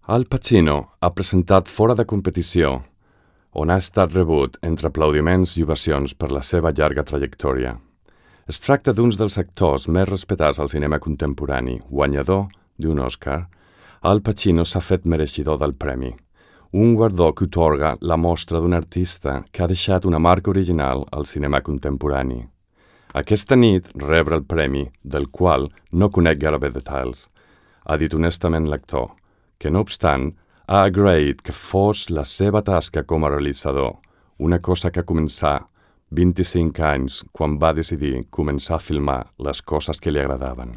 Al Pacino ha presentat Fora de competició, on ha estat rebut entre aplaudiments i ovacions per la seva llarga trajectòria. Es tracta d'un dels actors més respectats al cinema contemporani, guanyador d'un Oscar. Al Pacino s'ha fet mereixedor del premi, un guardó que otorga la mostra d'un artista que ha deixat una marca original al cinema contemporani. Aquesta nit rebre el premi, del qual no conec gairebé detalls, ha dit honestament l'actor, que no obstant ha agraït que fos la seva tasca com a realitzador, una cosa que començà 25 anys quan va decidir començar a filmar les coses que li agradaven.